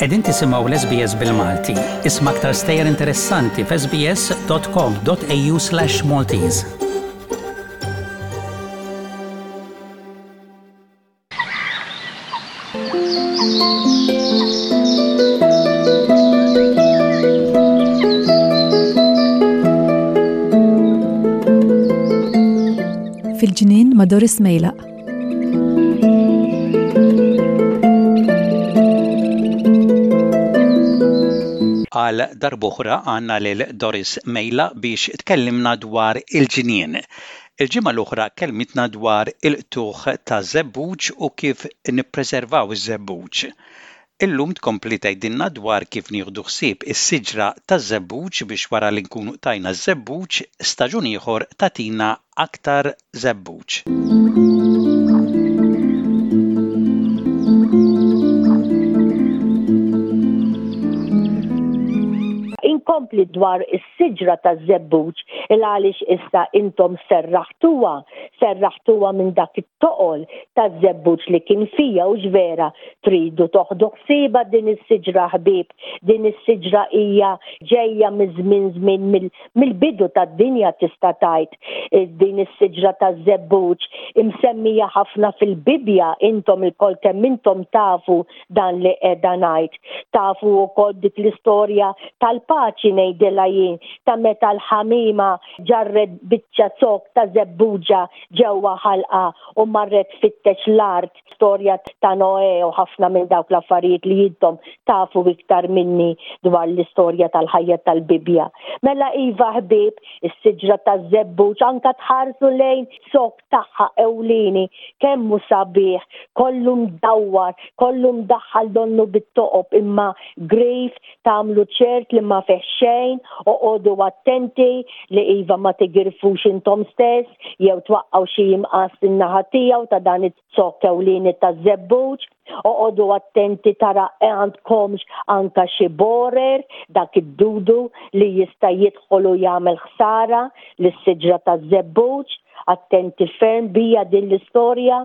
Qegħdin tisimgħu l-SBS bil-Malti. Isma' aktar stejjer interessanti f'sbs.com.au/maltese. Fil-ġnien ma' Doris Mejlaq. Għal darb'oħra għandna lil Doris Mejlaq biex tkellimna dwar il-ġnien. Il-ġimgħa l-oħra kellmitna dwar il-qtugħ taż-żebbuġ u kif nippreservaw iż-żebbuġ. Illum tkompli tgħidilna dwar kif nieħdu ħsieb is-siġra taż-żebbuġ biex wara li nkunu qtajna ż-żebbuġ, staġun ieħor tagħtina aktar żebbuġ. Inkompli dwar is-siġra taż-żebbuġ il għaliex issa intom serraħtuha, serraħtuha minn dak it-toqol taż-żebbuġ li kien fija hux vera tridu toħdu ħsiebha din is-siġra ħbieb, din is-siġra hija ġejja miż-żmien żmien mill-bidu tad-dinja tista' tgħid din is-siġra taż-żebbuġ imsemmija ħafna fil-Bibbja intom ilkoll kemm intom tafu dan li qiegħda ngħid. Tafu wkoll dik l-istorja tal-paċi ngħidilha jien ta' meta l-ħamima ġarret biċċa zokk ta' żebbuġa ġewwa ħalqha u marret tfittex l-art, storja ta' Noè u ħafna minn dawk l-affarijiet li intom tafu iktar minni dwar l-istorja tal-ħajja tal-Bibbja. Mela iva ħbieb, is-siġra taż-żebbuġ anka tħarsu lejn zokk tagħha ewlieni, kemm hu sabiħ, kollu mdawwar, kollu mdaħħal donnu bit-toqob imma grif, tagħmlu ċert li ma fih xejn, oqogħdu attenti li iva ma tigirfux intom stess jew twaqqgħu xi imqass in-naħa tiegħu ta' dan it-zokk ewlieni taż-żebbuġ. Oqogħdu attenti tara għandkomx anka xi borer, dak id-dudu li jista' jidħol u jagħmel ħsara lis-siġra taż-żebbuġ. Attenti ferm bija din l-istorja.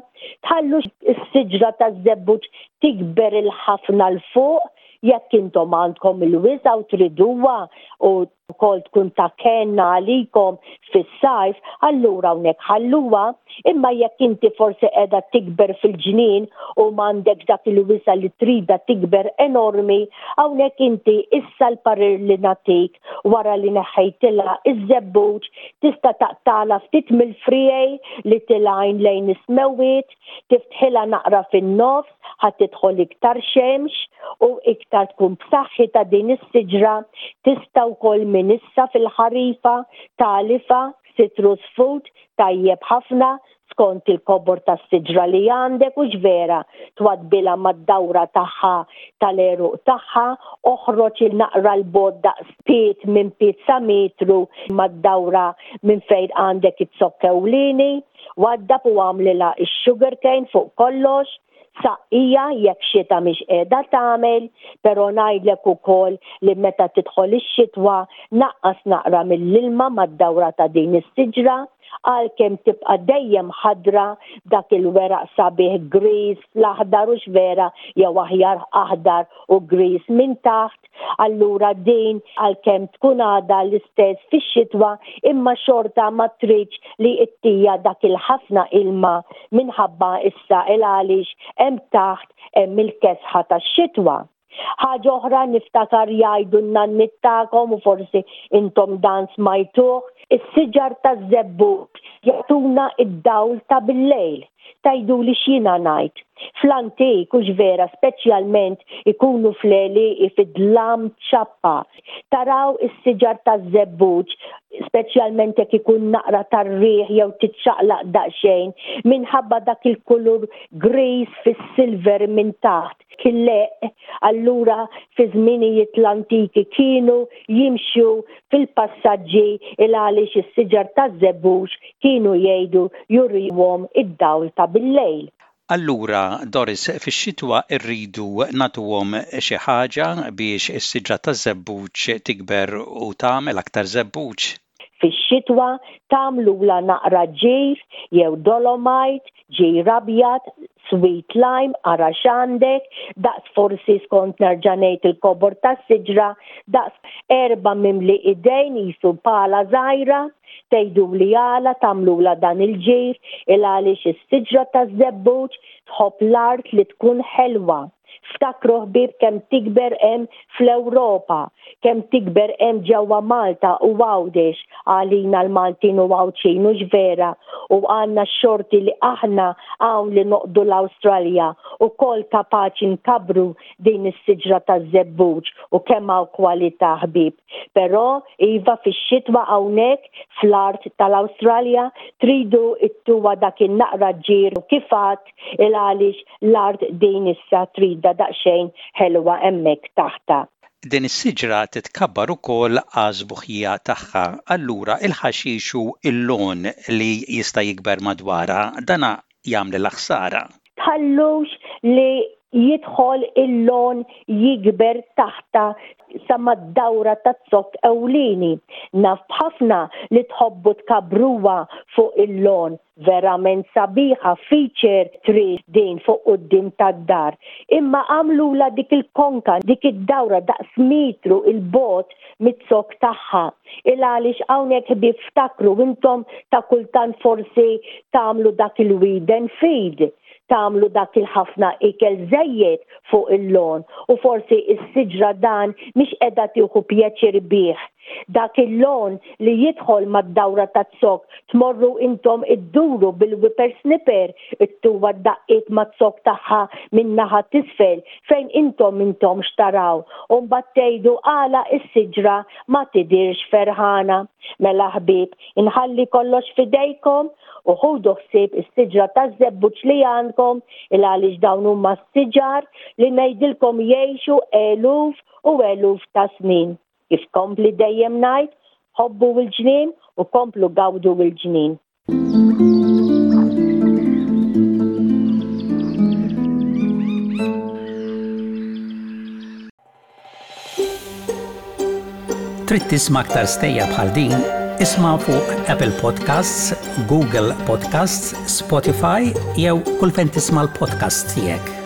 Tħallux is-siġra taż-żebbuġ tikber il-ħafna 'l fuq jekk intom għandkom il-wisa' u triduha u wkoll tkun ta' kenn għalikom fis-sajf, allura hawnhekk ħalluha, imma jekk inti forsi qiegħda tikber fil-ġnien u m'għandekx dak il-wisa' li tridha tikber enormi, hawnhekk inti issa l-parir li nagħtik wara li neħħejtilha iż-żebbuġ tista' taqtagħlha ftit mill-friegħi li tilgħin lejn is-smewwiet, Tiftħilha naqra fin-nofs ħa tidħol iktar xemx u iktar tkun b'saħħitha din is-siġra. Tista' wkoll minn issa fil-ħarifa tagħlifha citrus food tajjeb ħafna skont il-kobor tas-siġra li għandek hux vera twaddbilha mad-dawra tagħha tal-għeruq tagħha, oħroġ il-naqra 'l bogħod daqs pied minn pied sa metru mad-dawra minn fejn għandek iz-zokk ewlieni. Waddab u agħmlilha x-sugar cane fuq kollox, saqqija jekk xita mhix qiegħda tagħmel, però ngħidlek ukoll li meta tidħol ix-xitwa naqqas naqra mill-ilma mad-dawra ta' din is-siġra għalkemm tibqa' dejjem ħadra b'dak il-weraq sabiħ griż fl-aħdar hux vera jew aħjar aħdar u griż minn taħt. Allura din għalkemm tkun għadha l-istess fix-xitwa imma xorta ma tridx li ittija dak il-ħafna ilma minħabba issa il għaliex hemm taħt hemm il-kesħa tax-xitwa. Ħaġa oħra niftakar jgħidu n-nanniet tagħkom u forsi intom dan smajtuh, is-siġar taż-żebbuġ jagħtuna d-dawl ta' bil-lejl. Tgħiduli x'jiena ngħid. Fl-antik, hux vera, speċjalment ikunu fl-għelieqi fid-dlam ċappa. Taraw is-siġar taż-żebbuġ, speċjalment jekk ikun naqra tar-riħ jew tiċċaqlaq daqsxejn, minħabba dak il-kulur griż fis-silver minn taħt. Killeq, allura fi żminijiet l-antiki kienu jimxu fil-passaġġi il għaliex is-siġar taż-żebbuġ kienu jgħidu jurihom id-dawl ta' bil-lejl. Allura, Doris, fix-xitwa rridu nagħtuhom xi ħaġa biex is-siġra taż-żebbuġ tikber u tagħmel aktar żebbuġ? Fix-xitwa tagħmlulha naqra ġir jew dolomite, ġir abjad, sweet lime, ara x'għandek, daqs forsi skont nerġa' ngħid il-kobor tas-siġra, daqs erbgħa mimli idejn qisu pala żgħira, tgħiduli għala tagħmlulha dan il-ġir, il-għaliex is-siġra taż-żebbuġ tħobb l-art li tkun ħelwa. Ftakru ħbieb kemm tikber hemm fl-Ewropa, kemm tikber hemm ġewwa Malta u Għawdex għalina l-Maltin u Għawdxin hux vera u għandna x-xorti li aħna hawn li noqgħdu l-Awstralja ukoll kapaċi nkabbru din is-siġra taż-żebbuġ u kemm hawn kwalità ħbieb. Però iva fix-xitwa hawnhekk fl-art tal-Awstralja tridu ttuha dak in-naqra ġir kif għadt il-għaliex l-art din issa tridha daqsxejn ħelwa hemmhekk taħtha. Din is-siġra titkabbar ukoll għas-sbuħija tagħha, allura il-ħaxix u l-lawn li jista' jikber madwarha, dana jagħmlilha ħsara. Tħallux li jidħol il-lawn jikber taħtha sa mad-dawra taz-zokk ewlieni. Naf b'ħafna li tħobbu tkabbruha fuq il-lawn, Verament sabiħa feature tree din fuq quddiem tad-dar. Imma għamlulha dik il-konka, dik id-dawra daqs metru 'il bogħod miz-zokk tagħha. Il għaliex hawnhekk ħbieb ftakru intom ta' kultant forsi tagħmlu dak il-weed and feed, tagħmlu dak il-ħafna ikel żejjed fuq il-lawn u forsi s-siġra dan mhix qiegħda tieħu pjaċir bih. Dak il-lawn li jidħol mad-dawra taz-zokk tmorru intom idduru bil-whipper snipper ittuha d-daqqiet maz-zokk tagħha min-naħa t'isfel fejn intom m'intomx taraw u mbagħad tgħidu għala s-siġra ma tidhirx ferħana. Mela ħbieb, inħalli kollox f'idejkom u ħudu ħsieb is-siġra taż-żebbuġ li għandkom il-għaliex dawn huma siġar li ngħidilkom jgħixu eluf u eluf ta' snin. Kif kompli dejjem ngħid, ħobbu l-ġnien u komplu gawdu l-ġnien. Trid tisma' aktar stejjer bħal din? Isma' fuq Apple Podcasts, Google Podcasts, Spotify jew kull fejn tisma' l-podcasts tiegħek.